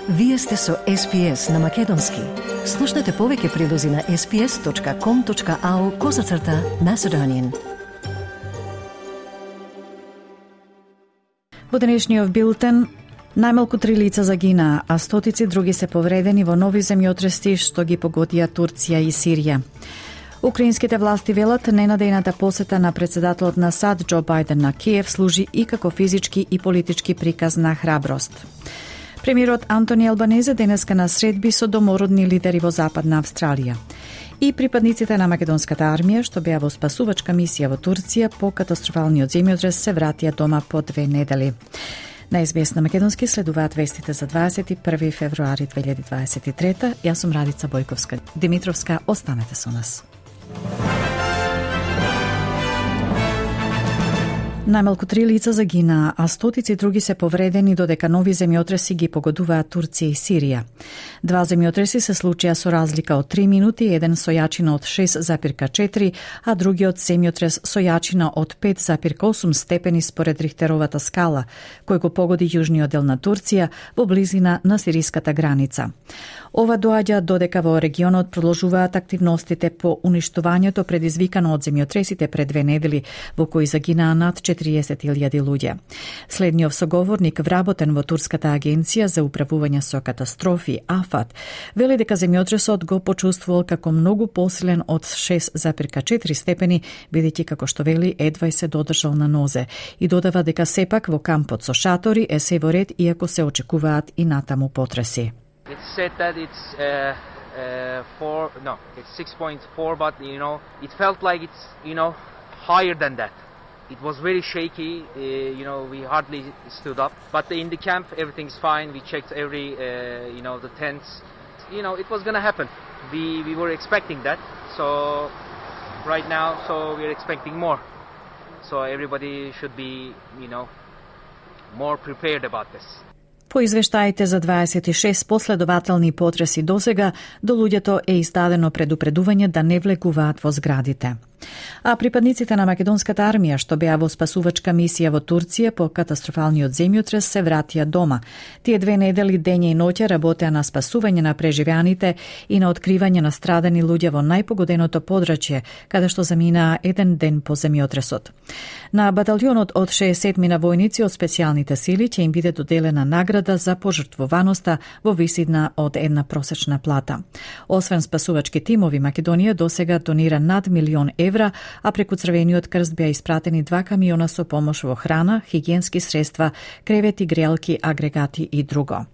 Вие сте со SPS на Македонски. Слушнете повеќе прилози на sps.com.au/Macedonian. Во денешниот билтен, најмалку 3 лица загинаа, а стотици други се повредени во нови земјотреси што ги погодија Турција и Сирија. Украинските власти велат ненадејната посета на председателот на САД Џо Бајден на Киев служи и како физички и политички приказ на храброст. Премиерот Антони Албанезе денеска на средби со домородни лидери во Западна Австралија. И припадниците на македонската армија што беа во спасувачка мисија во Турција по катастрофалниот земјотрес се вратија дома по 2 недели. На СБС на Македонски следуваат вестите за 21 февруари 2023. Јас сум Радица Бојковска Димитровска, останете со нас. Најмалку 3 лица загинаа, а стотици други се повредени додека нови земјотреси ги погодуваат Турција и Сирија. 2 земјотреси се случија со разлика од 3 минути, еден со јачина од 6,4, а другиот земјотрес со јачина од 5,8 степени според Рихтеровата скала, кој го погоди јужниот дел на Турција во близина на сириската граница. Ова доаѓа додека во регионот продолжуваат активностите по уништувањето предизвикано од земјотресите пред 2 недели, во кои загинаа над 40.000 луѓе. Следниот соговорник, вработен во Турската агенција за управување со катастрофи, АФАТ, вели дека земјотресот го почувствувал како многу посилен од 6,4 степени, бидејќи како што вели едва се додржал на нозе, и додава дека сепак во кампот со шатори е се во ред, иако се очекуваат и натаму потреси. It's said that it's 6.4, but it felt like it's higher than that. It was very shaky. We hardly stood up. But in the camp, everything's fine. We checked every the tents. It was gonna happen. We were expecting that. So right now, we're expecting more. So everybody should be more prepared about this. По извештаите за 26 последователни потреси досега, до луѓето е издадено предупредување да не влегуваат во зградите. А припадниците на македонската армија што беа во спасувачка мисија во Турција по катастрофалниот земјотрес се вратија дома. Тие 2 недели дење и ноќе работеа на спасување на преживеаните и на откривање на страдани луѓе во најпогоденото подрачје, каде што заминаа 1 ден по земјотресот. На баталјонот од 60 на војници од специјалните сили ќе им биде доделена награда за пожртвуваноста во висина од 1 просечна плата. Освен спасувачки тимови, Македонија досега донира над €1 милион, а преку Црвениот крст беа испратени 2 камиона со помош во храна, хигиенски средства, кревети, грелки, агрегати и друго.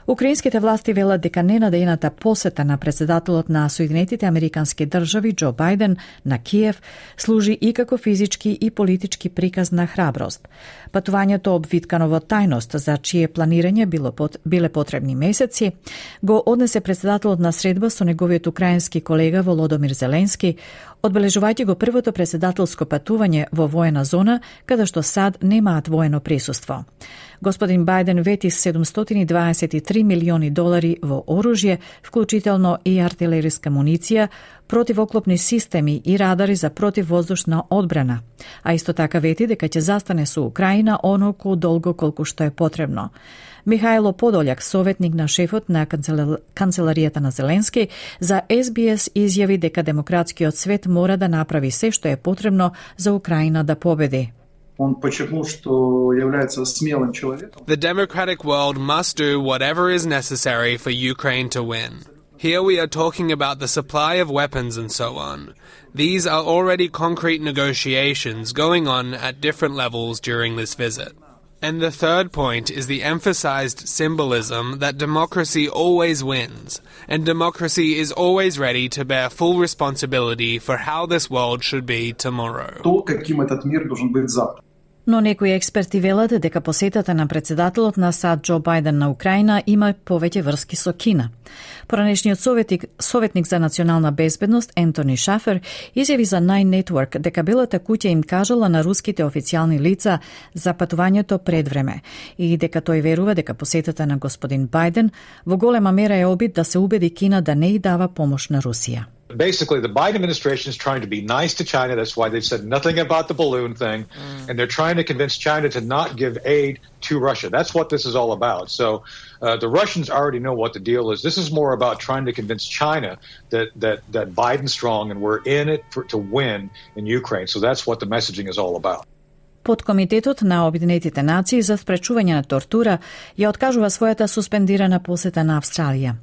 Украинските власти велат дека ненадејната посета на председателот на Соединетите Американски држави Џо Бајден на Киев служи и како физички и политички приказ на храброст. Патувањето обвиткано во тајност, за чие планирање биле потребни месеци, го однесе председателот на средба со неговиот украински колега Володомир Зеленски, одбележувајќи го првото председателско патување во воена зона, каде што САД немаат воено присуство. Господин Бајден вети $723 милиони во оружје, вклучително и артилериска муниција, противоклопни системи и радари за противвоздушна одбрана, а исто така вети дека ќе застане со Украина оноку долго колку што е потребно. Михајло Подољак, советник на шефот на канцеларијата на Зеленски, за SBS изјави дека демократскиот свет мора да направи се што е потребно за Украина да победи. Он подчеркнул, что является смелым человеком. The democratic world must do whatever is necessary for Ukraine to win. Here we are talking about the supply of weapons and so on. These are already concrete negotiations going on at different levels during this visit. And the third point is the emphasized symbolism that democracy always wins, and democracy is always ready to bear full responsibility for how this world should be tomorrow. То, каким этот мир должен быть завтра. Но некои експерти велат дека посетата на председателот на САД Џо Бајден на Украина има повеќе врски со Кина. Поранешниот советник за национална безбедност Ентони Шафер изјави за Nine Network дека Белата куќа им кажала на руските официјални лица за патувањето пред време и дека тој верува дека посетата на господин Бајден во голема мера е обид да се убеди Кина да не и дава помош на Русија. Basically, the Biden administration is trying to be nice to China. That's why they've said nothing about the balloon thing. And they're trying to convince China to not give aid to Russia. That's what this is all about. So the Russians already know what the deal is. This is more about trying to convince China that Biden's strong and we're in it to win in Ukraine. So that's what the messaging is all about. Подкомитетот на Обединетите нации за спречување на тортура ја откажува својата суспендирана посета на Австралија.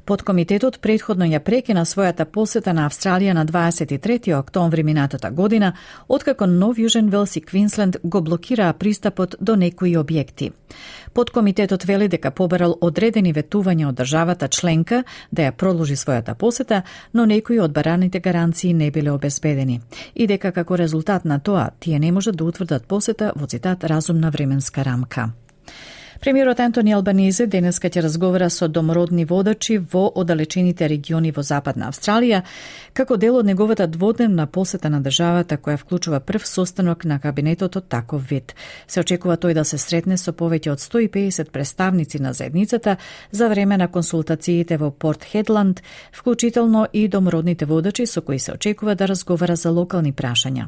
Подкомитетот претходно ја прекина својата посета на Австралија на 23 октомври минатата година, откако Нов Јужен Велс и Квинсленд го блокираа пристапот до некои објекти. Подкомитетот вели дека побарал одредени ветувања од државата членка да ја продолжи својата посета, но некои од бараните гаранции не биле обезбедени и дека како резултат на тоа тие не можат да утврдат посета во цитат разумна временска рамка. Премиерот Антони Албанезе денеска ќе разговара со домородни водачи во оддалечените региони во Западна Австралија, како дел од неговата дводневна посета на државата која вклучува прв состанок на кабинетот од таков вид. Се очекува тој да се сретне со повеќе од 150 представници на заедницата за време на консултациите во Порт Хедланд, вклучително и домородните водачи со кои се очекува да разговара за локални прашања.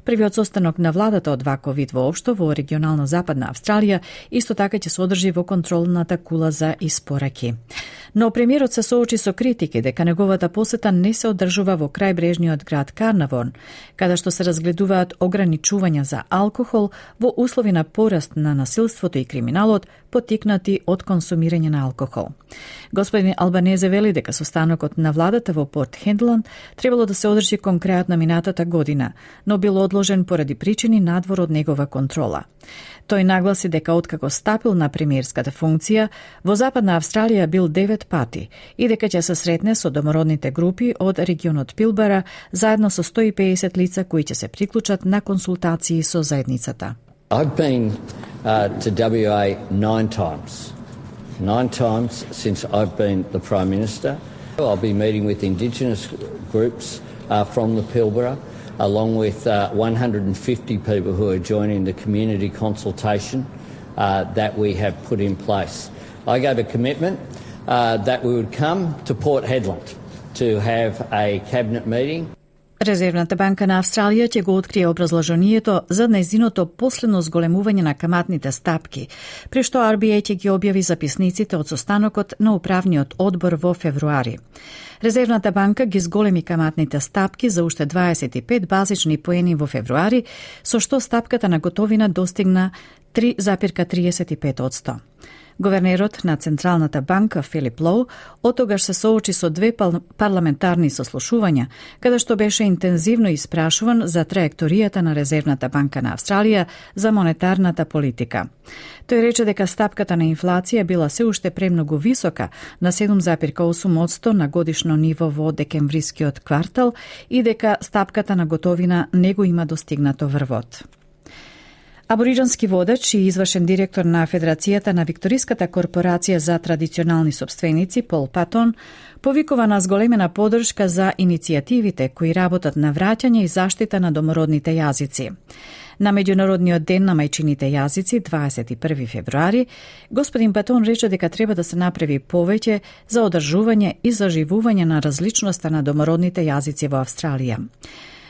Првиот состанок на владата од ваков вид воопшто во регионална Западна Австралија исто така ќе се одржи во контролната кула за испораки. Но премиерот се соочи со критики дека неговата посета не се одржува во крајбрежниот град Карнавон, каде што се разгледуваат ограничувања за алкохол во услови на пораст на насилството и криминалот поттикнати од консумирање на алкохол. Господин Албанезе вели дека состанокот на владата во Порт Хедланд требало да се одржи кон крајот на минатата година, но бил одложен поради причини надвор од негова контрола. Тој нагласи дека откако стапил на премиерската функција, во Западна Австралија бил 9 пати и дека ќе се сретне со домородните групи од регионот Пилбара заедно со 150 лица кои ќе се приклучат на консултации со заедницата. I've been to WA 9 times. 9 times since I've been the Prime Minister. I'll be meeting with Indigenous groups from the Pilbara, along with 150 people who are joining the community consultation that we have put in place. I gave a commitment that we would come to Port Hedland to have a cabinet meeting. Резервната банка на Австралија ќе го открие образложението за нејзиното последно зголемување на каматните стапки, при што RBA ќе ги објави записниците од состанокот на управниот одбор во февруари. Резервната банка ги зголеми каматните стапки за уште 25 базични поени во февруари, со што стапката на готовина достигна 3,35%. Говернерот на Централната банка Филип Лоу отогаш се соочи со 2 парламентарни сослушувања, каде што беше интензивно испрашуван за траекторијата на Резервната банка на Австралија за монетарната политика. Тој рече дека стапката на инфлација била се уште премногу висока на 7,8% на годишно ниво во декемврискиот квартал и дека стапката на готовина не го има достигнато врвот. Абориџански водач и извршен директор на Федерацијата на Викториската корпорација за традиционални собственици Пол Патон повикува на зголемена поддршка за иницијативите кои работат на враќање и заштита на домородните јазици. На Меѓународниот ден на мајчините јазици, 21 февруари, господин Патон рече дека треба да се направи повеќе за одржување и заживување на различноста на домородните јазици во Австралија.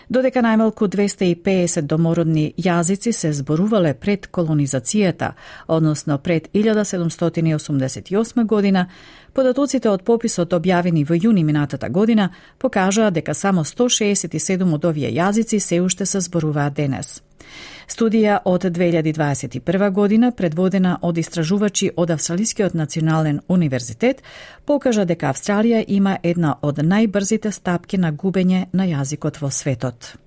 Додека најмалку 250 домородни јазици се зборувале пред колонизацијата, односно пред 1788 година, податоците од пописот објавени во јуни минатата година покажаа дека само 167 од овие јазици се уште се зборуваат денес. Студија од 2021 година, предводена од истражувачи од Австралискиот национален универзитет, покажа дека Австралија има една од најбрзите стапки на губење на јазикот во светот.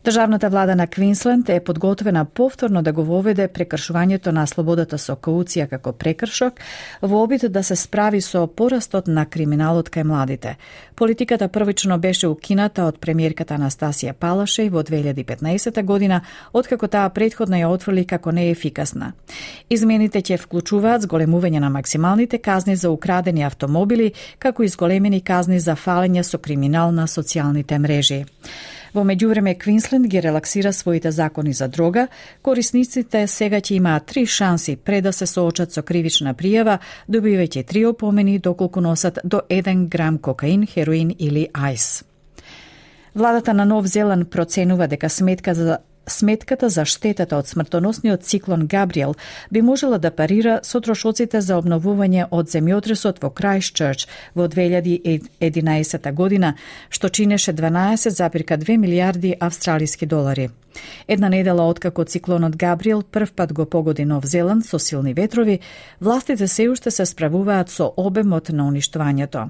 Државната влада на Квинсленд е подготвена повторно да го воведе прекршувањето на слободата со кауција како прекршок во обид да се справи со порастот на криминалот кај младите. Политиката првично беше укината од премиерката Анастасија Палашеј во 2015 година, откако таа претходно ја отфрли како неефикасна. Измените ќе вклучуваат зголемување на максималните казни за украдени автомобили, како и зголемени казни за фалење со криминал на социјалните мрежи. Во меѓувреме, Квинсленд ги релаксира своите закони за дрога. Корисниците сега ќе имаат 3 шанси пред да се соочат со кривична пријава, добивајќи 3 опомени доколку носат до 1 грам кокаин, хероин или ајс. Владата на Нов Зеланд проценува дека сметката за штетата од смртоносниот циклон Габриел би можела да парира со трошоците за обновување од земјотресот во Крајстчерч во 2011 година, што чинеше 12,2 милијарди австралиски долари. Една недела откако циклонот Габриел прв пат го погоди Нов Зеланд со силни ветрови, властите се уште се справуваат со обемот на уништувањето.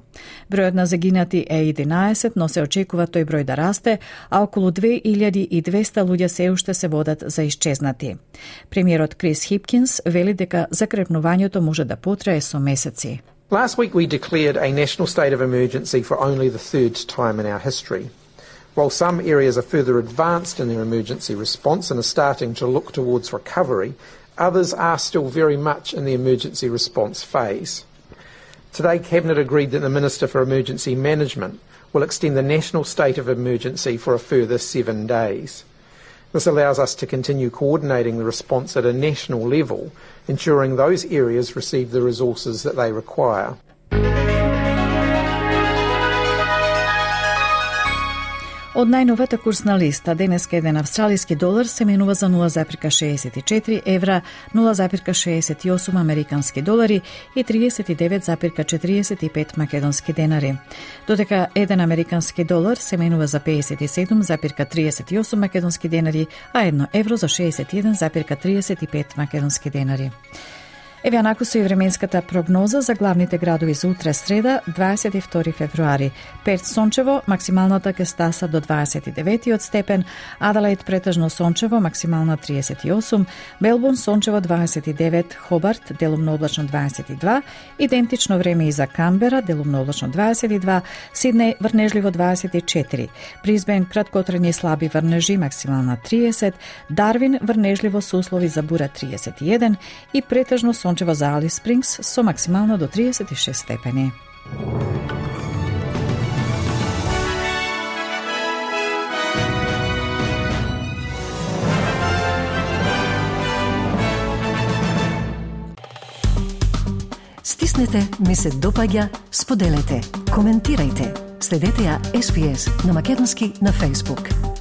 Бројот на загинати е 11, но се очекува тој број да расте, а околу 2200 луѓе се уште се водат за исчезнати. Премиерот Крис Хипкинс вели дека закрепнувањето може да потрае со месеци. Last week we declared a national state of emergency for only the third time in our history. While some areas are further advanced in their emergency response and are starting to look towards recovery, others are still very much in the emergency response phase. Today, Cabinet agreed that the Minister for Emergency Management will extend the national state of emergency for a further 7 days. This allows us to continue coordinating the response at a national level, ensuring those areas receive the resources that they require. Од најновата курсна листа, денеска еден австралиски долар се менува за 0,64 евра, 0,68 американски долари и 39,45 македонски денари. Додека еден американски долар се менува за 57,38 македонски денари, а 1 евро за 61,35 македонски денари. Еве анакусо и временската прогноза за главните градови за утре среда, 22 февруари. Перт сончево, максималната ќе стаса до 29 степен, Аделаид претежно сончево, максимална 38, Мелбурн сончево 29, Хобарт делумно облачно 22, идентично време и за Канбера, делумно облачно 22, Сиднеј врнежливо 24, Брисбен краткотрajни слаби врнежи, максимална 30, Дарвин врнежливо со услови за бура 31 и претежно сончево за Алис Спрингс со максимално до 36 степени. Стиснете, ми се допаѓа, споделете, коментирајте. Следете ја SPS на Македонски на Facebook.